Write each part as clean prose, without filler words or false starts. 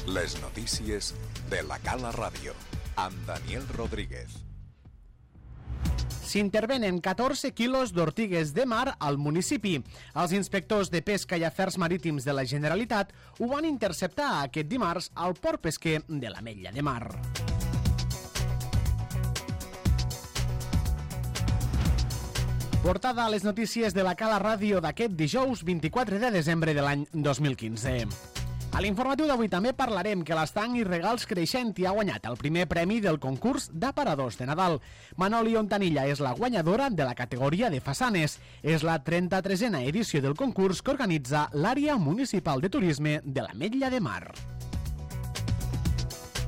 Les notícies de la Cala Ràdio, amb Daniel Rodríguez. S'intervenen 14 quilos d'ortigues de mar al municipi. Els inspectors de Pesca i Afers Marítims de la Generalitat ho van interceptar aquest dimarts al port pesquer de l'Ametlla de Mar. Portada a les notícies de la Cala Ràdio d'aquest dijous 24 de desembre de l'any 2015. A l'informatiu d'avui també parlarem que l'Estanc i Regals Creixent ha guanyat el primer premi del concurs d'aparadors de Nadal. Manoli Ontanilla és la guanyadora de la categoria de façanes. És la 33a edició del concurs que organitza l'Àrea Municipal de Turisme de l'Ametlla de Mar.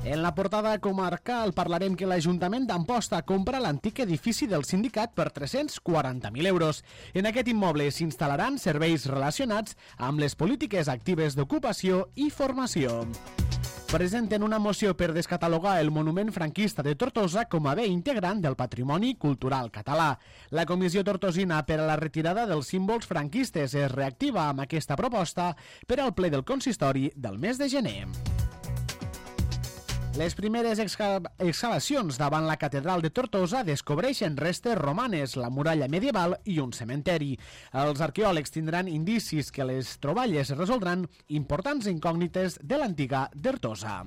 En la portada comarcal parlarem que l'Ajuntament d'Amposta compra l'antic edifici del sindicat per 340.000 euros. En aquest immoble s'instal·laran serveis relacionats amb les polítiques actives d'ocupació i formació. Presenten una moció per descatalogar el monument franquista de Tortosa com a bé integrant del patrimoni cultural català. La Comissió Tortosina per a la retirada dels símbols franquistes es reactiva amb aquesta proposta per al ple del consistori del mes de gener. Les primeres excavacions davant la catedral de Tortosa descobreixen restes romanes, la muralla medieval i un cementeri. Els arqueòlegs tindran indicis que les troballes resoldran importants incògnites de l'antiga Tortosa.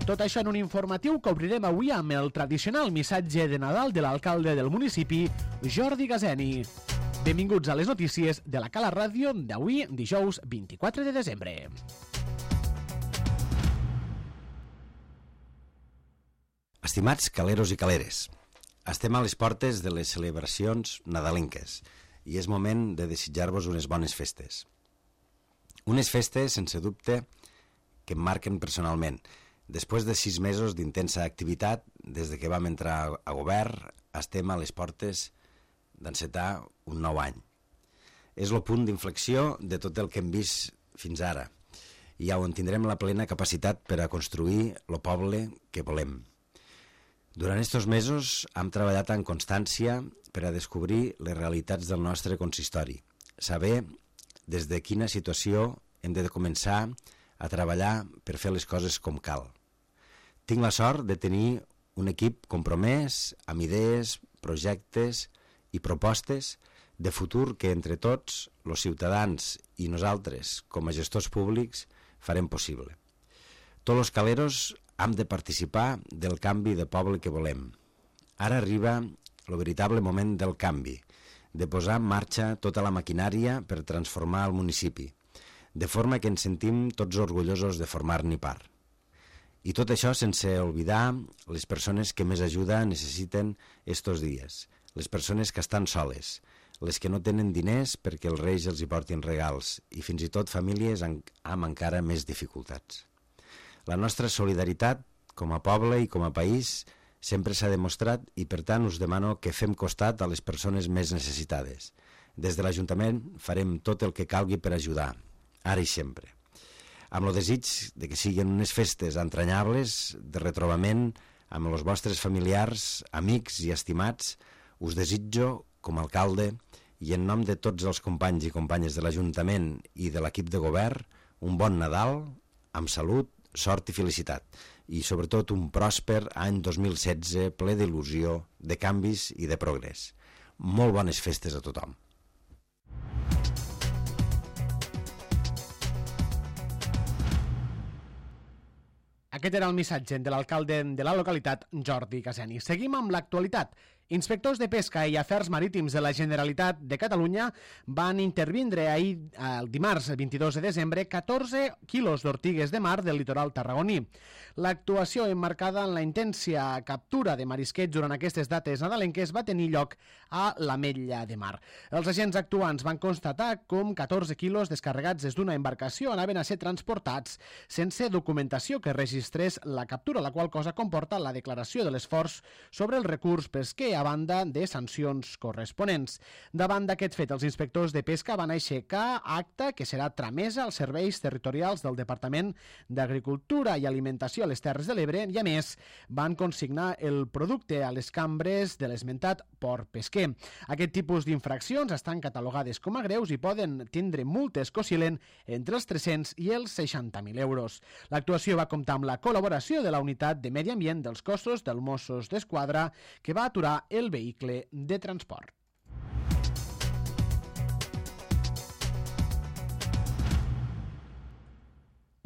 Tot això en un informatiu que obrirem avui amb el tradicional missatge de Nadal de l'alcalde del municipi, Jordi Gazeni. Benvinguts a les notícies de la Cala Ràdio d'avui, dijous 24 de desembre. Estimats caleros i caleres, estem a les portes de les celebracions nadalenques i és moment de desitjar-vos unes bones festes. Unes festes, sense dubte, que em marquen personalment. Després de 6 mesos d'intensa activitat, des de que vam entrar a govern, estem a les portes d'encetar un nou any. És el punt d'inflexió de tot el que hem vist fins ara i on tindrem la plena capacitat per a construir el poble que volem. Durant aquests mesos hem treballat en constància per a descobrir les realitats del nostre consistori, saber des de quina situació hem de començar a treballar per fer les coses com cal. Tinc la sort de tenir un equip compromès amb idees, projectes i propostes de futur que entre tots, els ciutadans i nosaltres, com a gestors públics, farem possible. Tots els caleros hem de participar del canvi de poble que volem. Ara arriba el veritable moment del canvi, de posar en marxa tota la maquinària per transformar el municipi, de forma que ens sentim tots orgullosos de formar-ne part. I tot això sense oblidar les persones que més ajuda necessiten estos dies, les persones que estan soles, les que no tenen diners perquè els reis els hi portin regals i fins i tot famílies amb encara més dificultats. La nostra solidaritat, com a poble i com a país, sempre s'ha demostrat i, per tant, us demano que fem costat a les persones més necessitades. Des de l'Ajuntament farem tot el que calgui per ajudar, ara i sempre. Amb el desig de que siguin unes festes entranyables, de retrobament amb els vostres familiars, amics i estimats, us desitjo, com a alcalde, i en nom de tots els companys i companyes de l'Ajuntament i de l'equip de govern, un bon Nadal, amb salut, sort i felicitat, i sobretot un pròsper any 2016 ple d'il·lusió, de canvis i de progrés. Molt bones festes a tothom. Aquest era el missatge de l'alcalde de la localitat, Jordi Gazeni. Seguim amb l'actualitat. Inspectors de Pesca i Afers Marítims de la Generalitat de Catalunya van intervindre ahir, el dimarts 22 de desembre, 14 quilos d'ortigues de mar del litoral tarragoní. L'actuació emmarcada en la intensa captura de marisquets durant aquestes dates nadalenques va tenir lloc a l'Ametlla de Mar. Els agents actuants van constatar com 14 quilos descarregats des d'una embarcació anaven a ser transportats sense documentació que registrés la captura, la qual cosa comporta la declaració de l'esforç sobre el recurs pesquer a banda de sancions corresponents. Davant d'aquest fet, els inspectors de pesca van aixecar acta que serà tramesa als serveis territorials del Departament d'Agricultura i Alimentació a les Terres de l'Ebre i, a més, van consignar el producte a les cambres de l'esmentat port pesquer. Aquest tipus d'infraccions estan catalogades com a greus i poden tindre multes que oscil·len entre els 300 i els 60.000 euros. L'actuació va comptar amb la col·laboració de la Unitat de Medi Ambient dels Cossos dels Mossos d'Esquadra, que va aturar el vehicle de transport.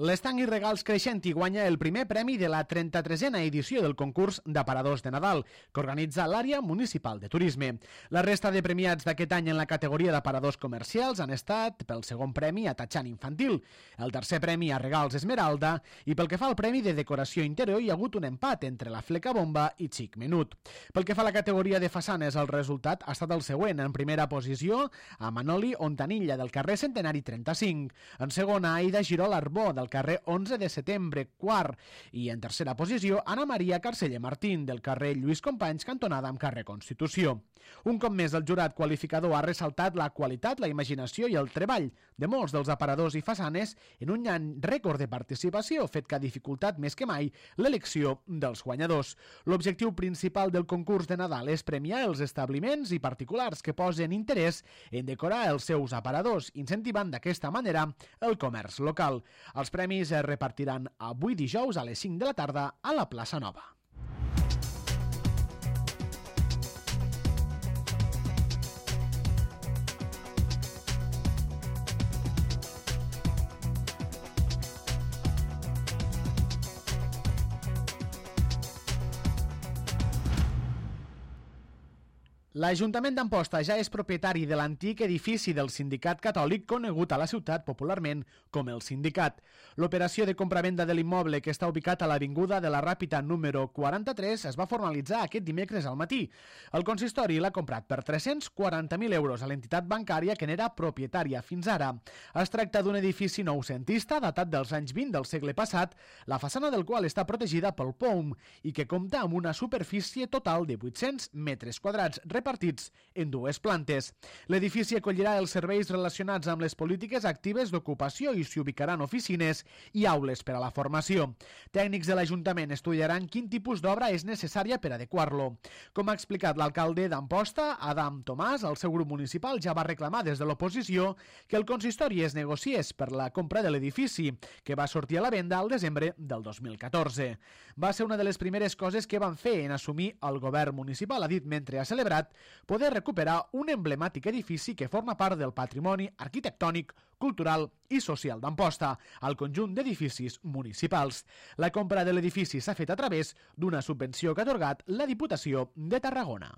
L'Estanc i Regals Creixenti guanya el primer premi de la 33a edició del concurs d'aparadors de Nadal, que organitza l'àrea municipal de turisme. La resta de premiats d'aquest any en la categoria d'aparadors comercials han estat pel segon premi a Tatxan Infantil, el tercer premi a Regals Esmeralda i pel que fa al premi de decoració interior hi ha hagut un empat entre la Fleca Bomba i Xic Menut. Pel que fa a la categoria de façanes, el resultat ha estat el següent. En primera posició, a Manoli Ontanilla del carrer Centenari 35. En segona, Aida Girol Arbó del carrer 11 de setembre, quart, i en tercera posició Anna Maria Carceller Martín del carrer Lluís Companys, cantonada amb carrer Constitució. Un cop més, el jurat qualificador ha ressaltat la qualitat, la imaginació i el treball de molts dels aparadors i façanes en un any rècord de participació, fet que ha dificultat més que mai l'elecció dels guanyadors. L'objectiu principal del concurs de Nadal és premiar els establiments i particulars que posen interès en decorar els seus aparadors, incentivant d'aquesta manera el comerç local. Els premis es repartiran avui dijous a les 5 de la tarda a la Plaça Nova. L'Ajuntament d'Amposta ja és propietari de l'antic edifici del Sindicat Catòlic conegut a la ciutat popularment com el Sindicat. L'operació de compravenda de l'immoble, que està ubicat a l'Avinguda de la Ràpita número 43, es va formalitzar aquest dimecres al matí. El consistori l'ha comprat per 340.000 euros a l'entitat bancària que n'era propietària fins ara. Es tracta d'un edifici noucentista datat dels anys 20 del segle passat, la façana del qual està protegida pel POUM i que compta amb una superfície total de 800 metres quadrats repartits en dues plantes. L'edifici acollirà els serveis relacionats amb les polítiques actives d'ocupació i s'hi ubicaran oficines i aules per a la formació. Tècnics de l'Ajuntament estudiaran quin tipus d'obra és necessària per adequar-lo. Com ha explicat l'alcalde d'Amposta, Adam Tomàs, el seu grup municipal ja va reclamar des de l'oposició que el consistori es negociés per la compra de l'edifici, que va sortir a la venda al desembre del 2014. Va ser una de les primeres coses que van fer en assumir el govern municipal, ha dit mentre ha celebrat poder recuperar un emblemàtic edifici que forma part del patrimoni arquitectònic, cultural i social d'Amposta, al conjunt d'edificis municipals. La compra de l'edifici s'ha fet a través d'una subvenció que ha atorgat la Diputació de Tarragona.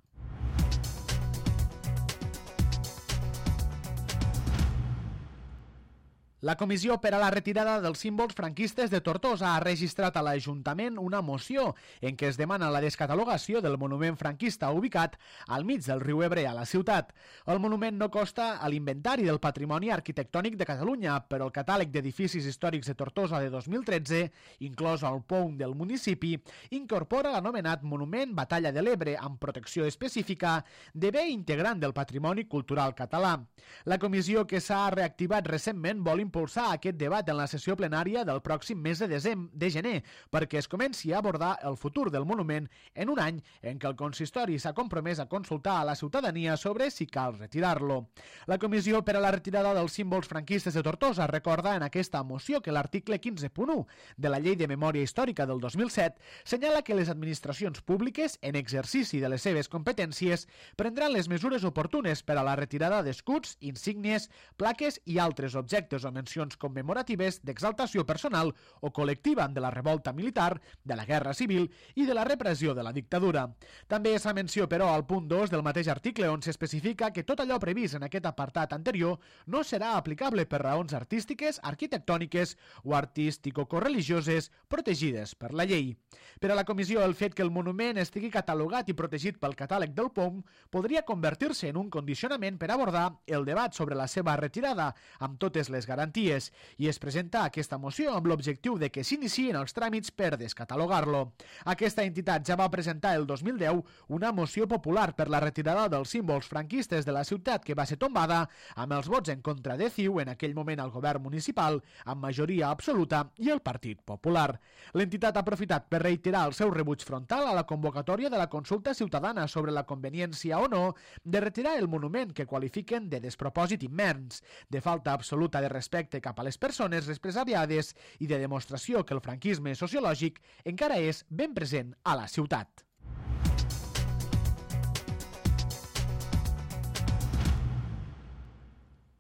La Comissió per a la Retirada dels Símbols Franquistes de Tortosa ha registrat a l'Ajuntament una moció en què es demana la descatalogació del monument franquista ubicat al mig del riu Ebre a la ciutat. El monument no consta a l'Inventari del Patrimoni Arquitectònic de Catalunya, però el catàleg d'edificis històrics de Tortosa de 2013, inclòs el POUM del municipi, incorpora l'anomenat Monument Batalla de l'Ebre amb protecció específica de bé integrant del patrimoni cultural català. La comissió, que s'ha reactivat recentment, vol impulsar aquest debat en la sessió plenària del pròxim mes de gener perquè es comenci a abordar el futur del monument en un any en què el consistori s'ha compromès a consultar a la ciutadania sobre si cal retirar-lo. La Comissió per a la Retirada dels Símbols Franquistes de Tortosa recorda en aquesta moció que l'article 15.1 de la Llei de Memòria Històrica del 2007 senyala que les administracions públiques, en exercici de les seves competències, prendran les mesures oportunes per a la retirada d'escuts, insígnies, plaques i altres objectes o mencions commemoratives d'exaltació personal o col·lectiva de la revolta militar, de la guerra civil i de la repressió de la dictadura. També es fa menció, però, al punt 2 del mateix article on s'especifica que tot allò previst en aquest apartat anterior no serà aplicable per raons artístiques, arquitectòniques o artístico-correligioses protegides per la llei. Per a la comissió, el fet que el monument estigui catalogat i protegit pel catàleg del POUM podria convertir-se en un condicionament per abordar el debat sobre la seva retirada, amb totes les garanties garanties i es presenta aquesta moció amb l'objectiu de que s'iniciïn els tràmits per descatalogar-lo. Aquesta entitat ja va presentar el 2010 una moció popular per la retirada dels símbols franquistes de la ciutat que va ser tombada amb els vots en contra de CiU, en aquell moment al govern municipal, amb majoria absoluta, i el Partit Popular. L'entitat ha aprofitat per reiterar el seu rebuig frontal a la convocatòria de la consulta ciutadana sobre la conveniència o no de retirar el monument que qualifiquen de despropòsit immens, de falta absoluta de respecte cap a les persones represaliades i de demostració que el franquisme sociològic encara és ben present a la ciutat.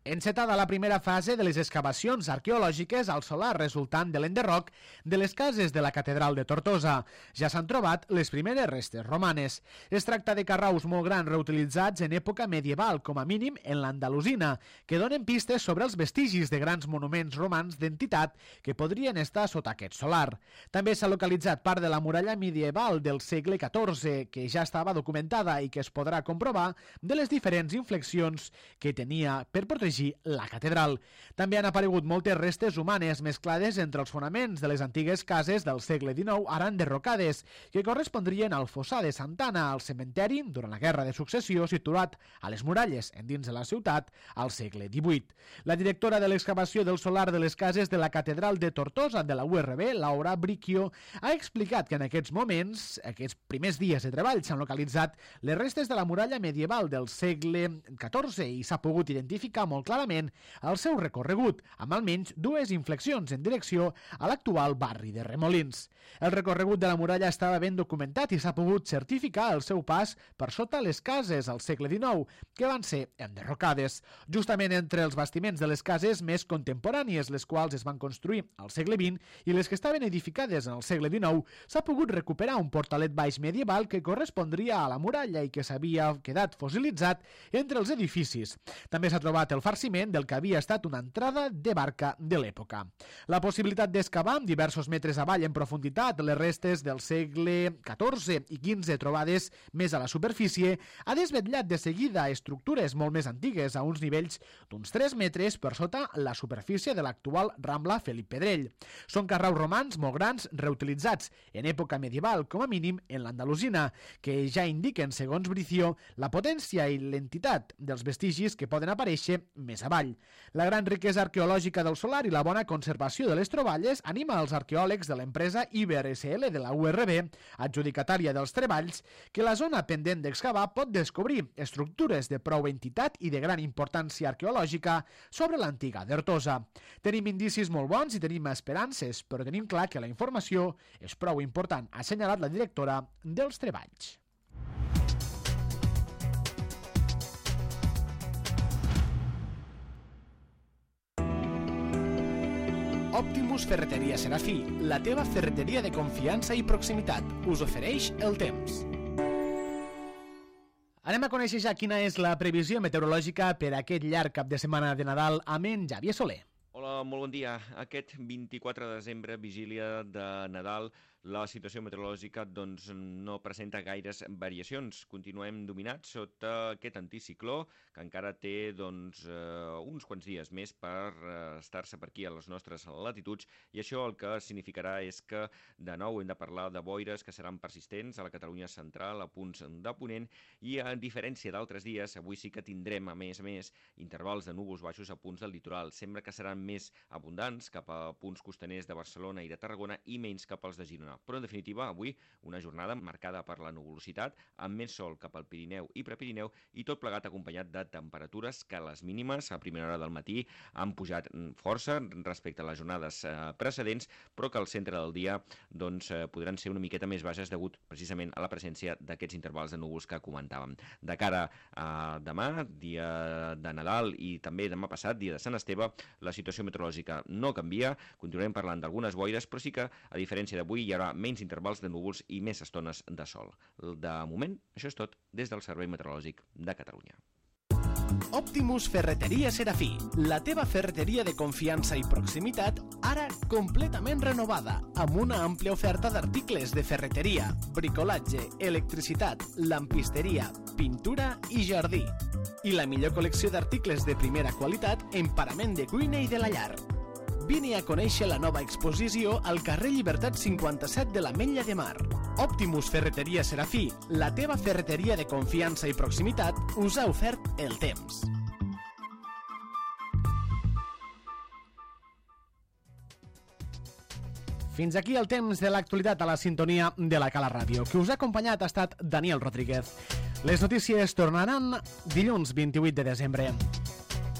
Encetada la primera fase de les excavacions arqueològiques al solar resultant de l'enderroc de les cases de la catedral de Tortosa. Ja s'han trobat les primeres restes romanes. Es tracta de carraus molt grans reutilitzats en època medieval, com a mínim en l'Andalusina, que donen pistes sobre els vestigis de grans monuments romans d'entitat que podrien estar sota aquest solar. També s'ha localitzat part de la muralla medieval del segle XIV, que ja estava documentada i que es podrà comprovar de les diferents inflexions que tenia per protegir la catedral. També han aparegut moltes restes humanes mesclades entre els fonaments de les antigues cases del segle XIX, ara enderrocades, que correspondrien al fossar de Santana, al cementeri durant la Guerra de Successió situat a les muralles endins de la ciutat al segle XVIII. La directora de l'excavació del solar de les cases de la catedral de Tortosa de la URB, Laura Bricchio, ha explicat que en aquests moments, aquests primers dies de treball, s'han localitzat les restes de la muralla medieval del segle XIV i s'ha pogut identificar molt clarament el seu recorregut, amb almenys dues inflexions en direcció a l'actual barri de Remolins. El recorregut de la muralla estava ben documentat i s'ha pogut certificar el seu pas per sota les cases al segle XIX, que van ser enderrocades. Justament entre els bastiments de les cases més contemporànies, les quals es van construir al segle XX, i les que estaven edificades en el segle XIX, s'ha pogut recuperar un portalet baix medieval que correspondria a la muralla i que s'havia quedat fossilitzat entre els edificis. També s'ha trobat el farciment del que havia estat una entrada de barca de l'època. La possibilitat d'excavar amb diversos metres avall en profunditat les restes del segle XIV i XV trobades més a la superfície ha desvetllat de seguida estructures molt més antigues a uns nivells d'uns 3 metres per sota la superfície de l'actual Rambla Felip Pedrell. Són carraus romans molt grans reutilitzats en època medieval, com a mínim en l'Andalusina, que ja indiquen, segons Bricio, la potència i l'entitat dels vestigis que poden aparèixer més avall. La gran riquesa arqueològica del solar i la bona conservació de les troballes anima els arqueòlegs de l'empresa Iber SL de la URB, adjudicatària dels treballs, que la zona pendent d'excavar pot descobrir estructures de prou entitat i de gran importància arqueològica sobre l'antiga Tortosa. Tenim indicis molt bons i tenim esperances, però tenim clar que la informació és prou important, ha assenyalat la directora dels treballs. Optimus Ferreteria Serafí, la teva ferreteria de confiança i proximitat, us ofereix el temps. Anem a conèixer ja quina és la previsió meteorològica per aquest llarg cap de setmana de Nadal amb en Xavier Soler. Hola, molt bon dia. Aquest 24 de desembre, vigília de Nadal, la situació meteorològica no presenta gaires variacions. Continuem dominats sota aquest anticicló que encara té uns quants dies més per estar-se per aquí a les nostres latituds, i això el que significarà és que de nou hem de parlar de boires que seran persistents a la Catalunya central, a punts de ponent, i a diferència d'altres dies, avui sí que tindrem a més intervals de núvols baixos a punts del litoral. Sembla que seran més abundants cap a punts costaners de Barcelona i de Tarragona i menys cap als de Girona. Però, en definitiva, avui una jornada marcada per la nuvolositat, amb més sol cap al Pirineu i Prepirineu, i tot plegat acompanyat de temperatures que a les mínimes, a primera hora del matí, han pujat força respecte a les jornades precedents, però que al centre del dia podran ser una miqueta més baixes degut precisament a la presència d'aquests intervals de núvols que comentàvem. De cara a demà, dia de Nadal, i també demà passat, dia de Sant Esteve, la situació meteorològica no canvia, continuarem parlant d'algunes boires, però sí que, a diferència d'avui, hi haurà menys intervals de núvols i més estones de sol. De moment, això és tot des del Servei Meteorològic de Catalunya. Optimus Ferreteria Serafí, la teva ferreteria de confiança i proximitat ara completament renovada, amb una àmplia oferta d'articles de ferreteria, bricolatge, electricitat, lampisteria, pintura i jardí. I la millor col·lecció d'articles de primera qualitat en parament de cuina i de la llar. Vine a conèixer la nova exposició al carrer Llibertat 57 de l'Ametlla de Mar. Optimus Ferreteria Serafí, la teva ferreteria de confiança i proximitat, us ha ofert el temps. Fins aquí el temps de l'actualitat a la sintonia de la Cala Ràdio. Qui us ha acompanyat ha estat Daniel Rodríguez. Les notícies tornaran dilluns 28 de desembre.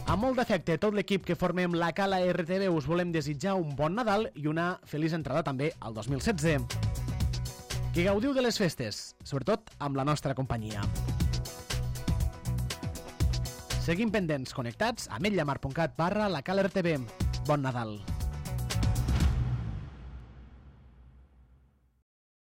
Amb molt d'afecte, tot l'equip que formem la Cala RTV us volem desitjar un bon Nadal i una feliç entrada també al 2016. Que gaudiu de les festes, sobretot amb la nostra companyia. Seguim pendents, connectats a ametlllamar.cat/la Cala RTV. Bon Nadal.